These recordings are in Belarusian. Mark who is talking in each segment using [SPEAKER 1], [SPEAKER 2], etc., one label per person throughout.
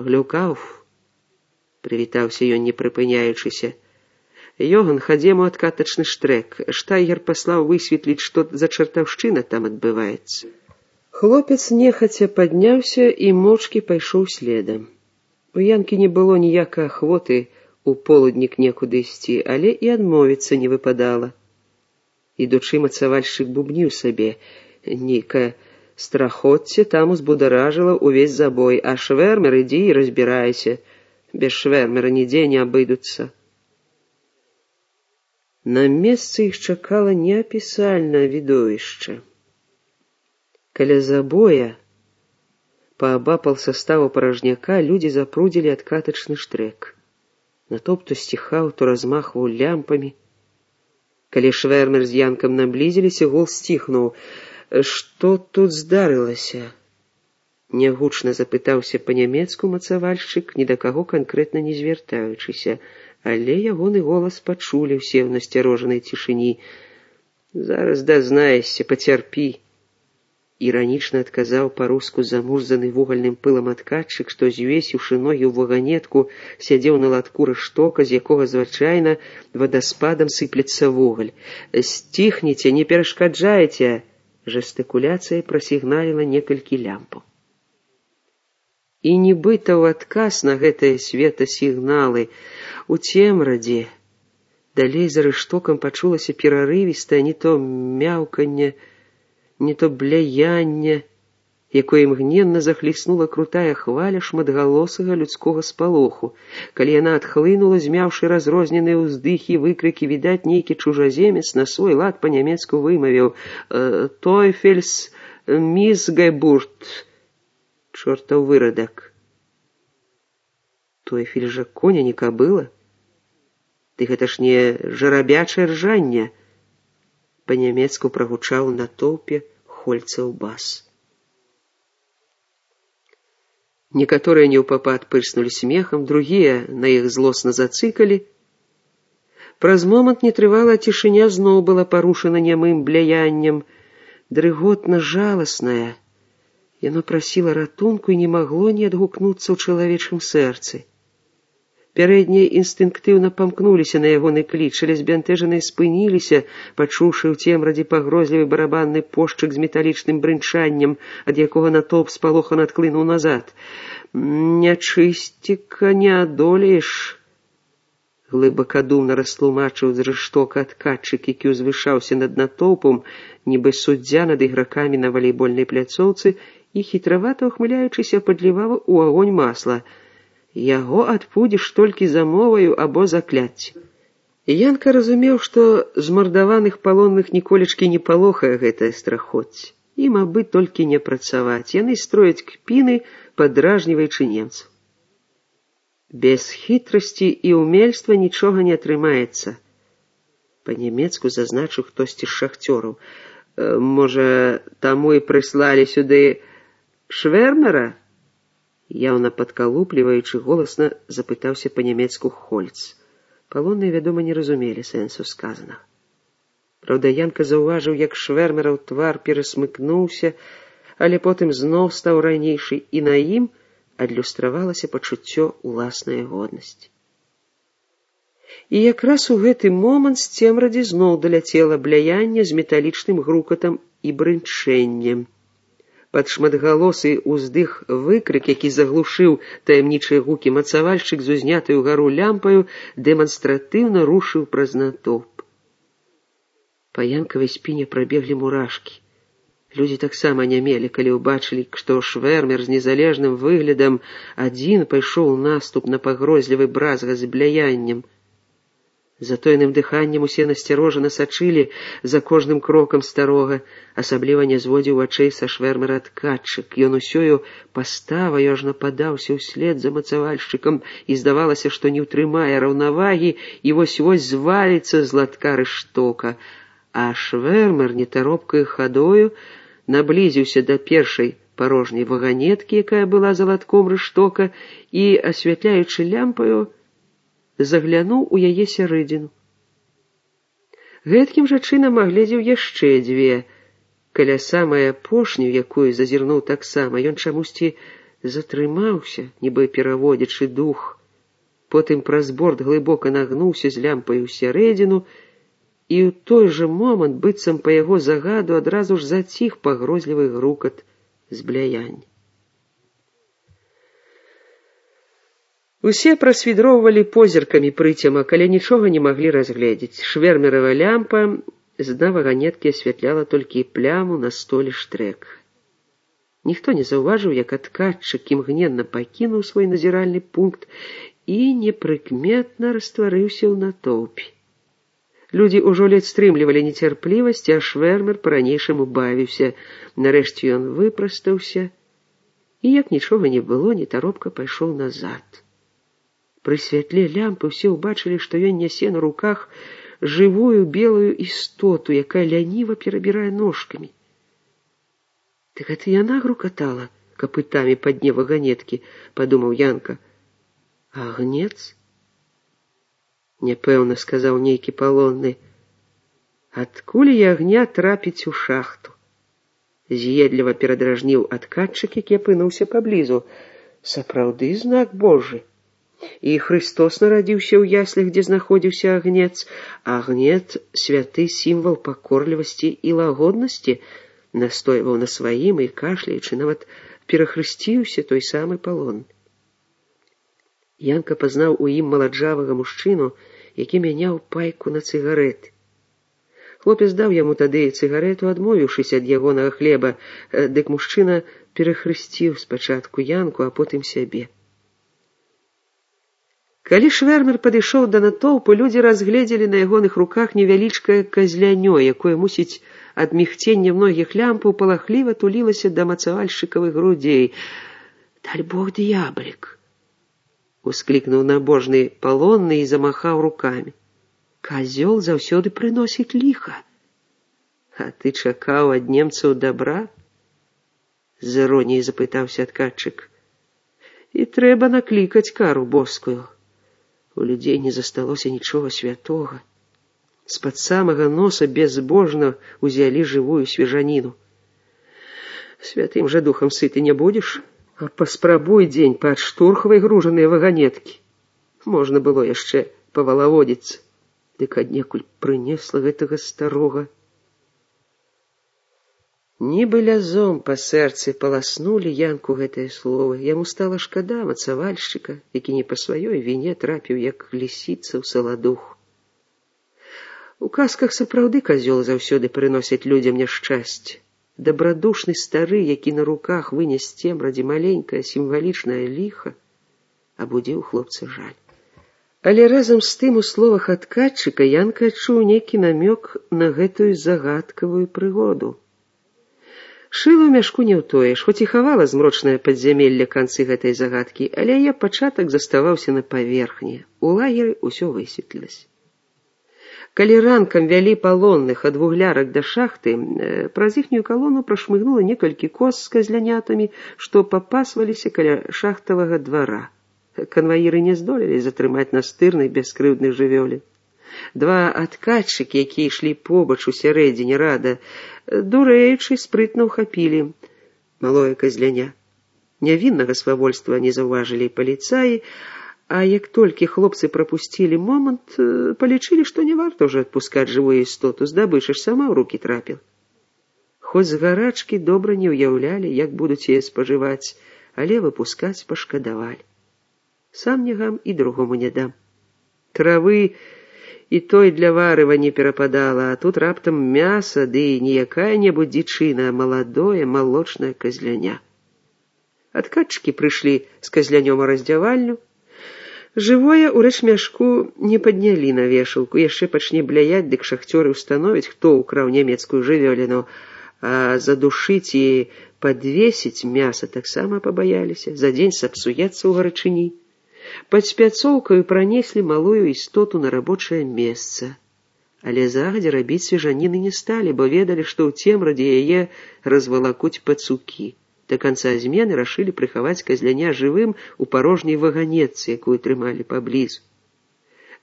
[SPEAKER 1] Глюкаў, прывітаўся ён, не прыпыняючыся. Йоган, хадзем у адкатачны штрэк. Штайгер паслаў высветліць, што за чартаўшчына там адбываецца. Хлопец нехаця падняўся і моўчкі пайшоў следам. У Янкі не было ніякай ахвоты у полуднік некуды ісці, але і адмовіцца не выпадала. Ідучы, мацавальшчык бубніў сабе. Нейкае страхоцце там узбударажыла ўвесь забой, а швэрмер ідзі і разбірайся. Без швэрмера нідзе не абыдуцца. На месцы іх чакала неапісальнае відовішча. Каля забоя, паабапал саставу паражняка, людзі запрудзілі адкатачны штрэк. Натоўп то сціхаў, то размахваў лямпамі. Калі швэрмер з Янкам наблізіліся, гул сціхнуў. Што тут здарылася? Нягучна запытаўся па-нямецку мацавальшчык, ні да каго канкрэтна не звяртаючыся, але ягоны голас пачулі ўсе ў насцярожанай цішыні. Зараз дазнаешся, пацярпі. Іранічна адказаў па-руску замурзаны вугальным пылам адкатчык, што, звесіўшы ногі ў ваганетку, сядзеў на латку рыштока, з якога звычайна вадаспадам сыплецца вугаль. Сціхніце, не перашкаджайце! Жэстыкуляцыя прасігналіла некалькі лямпаў. І нібыта ў адказ на гэтыя светасігналы у цемрадзе далей за рыштокам пачулася перарывістае не то мяўканне, не то бляянне, якое імгненна захліснула крутая хваля шматгалосага людскога спалоху. Калі яна адхлынула, змяўшы разрозненыя ўздыхі, выкрыкі, відаць, нейкі чужаземец на свой лад па-нямецку вымавіў «Тойфельс мисгайбурт», чортаў вырадак. Тойфель жа коня не кабыла? Ды гэта ж не жарабячае ржанне. Па-нямецку прагучаў на тоўпе Хольцаў бас. Некаторыя неўпапад пырснулі смехам, другія на іх злосна зацыкалі. Праз момант нетрывалая цішыня зноў была парушана нямым бляяннем, дрыготна жаласная. Яно прасіла ратунку і не магло не адгукнуцца ў чалавечым сэрцы. Пярэднія інстынктыўна памкнуліся на ягоны кліч, але збянтэжаныя спыніліся, пачуўшы ў цемрадзе пагрозлівы барабанны пошчык з металічным брынчаннем, ад якога натоўп спалохана адхлынуў назад. «Нячысціка не адолееш», глыбакадумна растлумачыў з рыштока адкатчык, які ўзвышаўся над натоўпам, нібы суддзя над ігракамі на валейбольнай пляцоўцы, і хітравата ухмыляючыся падліваў у агонь масла. Яго адпудзіш толькі замоваю або закляцці. Янка разумеў, што змардаваных палонных ніколечкі не палохае гэтае страхоцце. Ім абы толькі не працаваць. Яны строяць кпіны, падражніваючы немцаў. Без хітрасці і ўмельства нічога не атрымаецца. Па-нямецку зазначыў хтосьці з шахцёраў. Можа, таму і прыслалі сюды швэрмера? Яўна падкалупліваючы голасна запытаўся па-нямецку Хольц. Палонныя, вядома, не разумелі сэнсу сказанага. Праўда, Янка заўважыў, як швэрмераў твар перасмыкнуўся, але потым зноў стаў ранейшы, і на ім адлюстравалася пачуццё ўласнай годнасці. І якраз у гэты момант з цемрадзі зноў даляцела бляянне з металічным грукатам і брынчэннем. Пад шматгалосы ўздых выкрык, які заглушыў таямнічыя гукі, мацавальшчык з узнятай угару лямпаю дэманстратыўна рушыў праз натоўп. Па Янкавай спіне прабеглі мурашкі. Людзі таксама анямелі, калі ўбачылі, што швэрмер з незалежным выглядам адзін пайшоў у наступ на пагрозлівы бразга з бляяннем. Затоеным дыханнем усе насцярожана сачылі за кожным крокам старога, асабліва не зводзіў вачэй са швэрмера адкатчык. Ён усёю паставаю аж нападаўся ўслед за мацавальшчыкам, і здавалася, што не ўтрымае раўнавагі і вось-вось зваліцца з латка рыштока. А швэрмер нетаропкай хадою наблізіўся да першай парожняй ваганеткі, якая была за латком рыштока, і, асвятляючы лямпаю, заглянуў у яе сярэдзіну. Гэткім жа чынам агледзеў яшчэ дзве. Каля самай апошняй, якую зазірнуў таксама, ён чамусьці затрымаўся, нібы пераводзячы дух. Потым праз борт глыбока нагнуўся з лямпай усярэдзіну, і ў той жа момант, быццам па яго загаду, адразу ж заціх пагрозлівы грукат збляяння. Усе прасвідроўвалі позіркамі прыцемак, але нічога не маглі разгледзець. Швэрмерава лямпа з дна ваганеткі асвятляла толькі пляму на столе штрэк. Ніхто не заўважыў, як адкатчык імгненна пакінуў свой назіральны пункт і непрыкметна растварыўся ў натоўпе. Людзі ўжо ледзь стрымлівалі нецярплівасць, а швэрмер па-ранейшаму бавіўся. Нарэшце ён выпрастаўся і, як нічога не было, нетаропка пайшоў назад. Пры святле лямпы ўсе ўбачылі, што ён нясе на руках жывую белую істоту, якая ляніва перабірае ножкамі. «Ты гэта яна грукатала капытамі па дне ваганеткі», — падумаў Янка. «Агнец?» «Няпэўна», — сказаў нейкі палонны. «Адкуль і агня трапіць у шахту?» З'едліва перадражніў адкатчык, які апынуўся паблізу. «Сапраўды знак Божы. І Христос нарадзіўся ў яслях, дзе знаходзіўся агнец. Агнец — святы сімвал пакорлівасці і лагоднасці», — настойваў на сваім і, кашляючы, нават перахрысціўся той самы палон. Янка пазнаў у ім маладжавага мужчыну, які мяняў пайку на цыгарэты. Хлопец даў яму тады цыгарету, адмовіўшыся ад ягонага хлеба, дык мужчына перахрысціў спачатку Янку, а потым сябе. Калі швэрмер падышоў да натоўпу, людзі разгледзелі на ягоных руках невялічкае казлянё, якое, мусіць, ад мігцення многіх лямпаў палахліва тулілася да мацавальшчыкавых грудзей. «Даль Бог, д'яблік!» — усклікнуў набожны палонны і замахаў рукамі. «Казёл заўсёды прыносіць ліха. А ты чакаў ад немцаў дабра?» — з іроніяй запытаўся адкатчык. «І трэба наклікаць кару боскую. У людзей не засталося нічога святога. З-пад самага носа безбожна узялі жывую свежаніну. Святым жа духам сыты не будзеш? А паспрабуй дзень падштурхвай гружаныя ваганеткі. Можна было яшчэ павалаводзіцца, дык аднекуль прынесла гэтага старога». Нібы лязом па сэрцы паласнулі Янку гэтыя словы. Яму стала шкада мацавальшчыка, які не па сваёй віне трапіў, як лісіца ў саладух. У казках сапраўды казёл заўсёды прыносіць людзям няшчасце. Дабрадушны стары, які на руках вынес цемрадзе маленькае сімвалічнае ліха, абудзіў хлопца жаль. Але разам з тым у словах адкатчыка Янка адчуў нейкі намёк на гэтую загадкавую прыгоду. Шыла ў мяшку не ўтоеш, хоць і хавала змрочнае падзямелле канцы гэтай загадкі, але яе пачатак заставаўся на паверхні. У лагеры ўсё высветлілася. Калі ранкам вялі палонных ад вуглярак да шахты, праз іхнюю калону прашмыгнула некалькі коз з казлянятамі, што папасваліся каля шахтавага двара. Канваіры не здолелі затрымаць настырных бяскрыўдных жывёлін. Два адкатчыкі, якія ішлі побач у сярэдзіне рада, дурэючы, спрытна ўхапілі малое казляня. Нявіннага свавольства не заўважылі паліцаі, а як толькі хлопцы прапусцілі момант, палічылі, што не варта ўжо адпускаць жывую істоту, здабыча ж сама ў рукі трапіла. Хоць з гарачкі добра не ўяўлялі, як будуць яе спажываць, але выпускаць пашкадавалі. Сам не гам і другому не дам. Травы і той для варыва не перападала, а тут раптам мяса, ды не якая-небудзь дзічына, а маладое малочнае казляня. Адкатчыкі прыйшлі з казлянём у раздзявальню. Жывое ў рэчмяшку не паднялі на вешалку, яшчэ пачне бляяць, дык шахцёры ўстановяць, хто ўкраў нямецкую жывёліну, а задушыць і падвесіць мяса таксама пабаяліся, за дзень сапсуецца ў гарачыні. Пад спяцоўкаю пранеслі малую істоту на рабочае месца. Але загадзя рабіць свежаніны не сталі, бо ведалі, што ў цемрадзе яе развалакуць пацукі. До канца змены рашылі прыхаваць казляня жывым у парожняй ваганетцы, якую трымалі паблізу.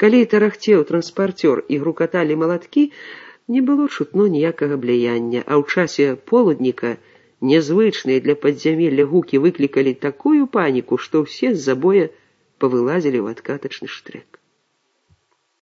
[SPEAKER 1] Калі тарахцеў транспартёр і грукаталі малаткі, не было чутно ніякага бляяння, а ў часе полудніка Нязвычныя для падзямелля гукі выклікалі такую паніку, што ўсе з забоя павылазілі ў адкатачны штрек.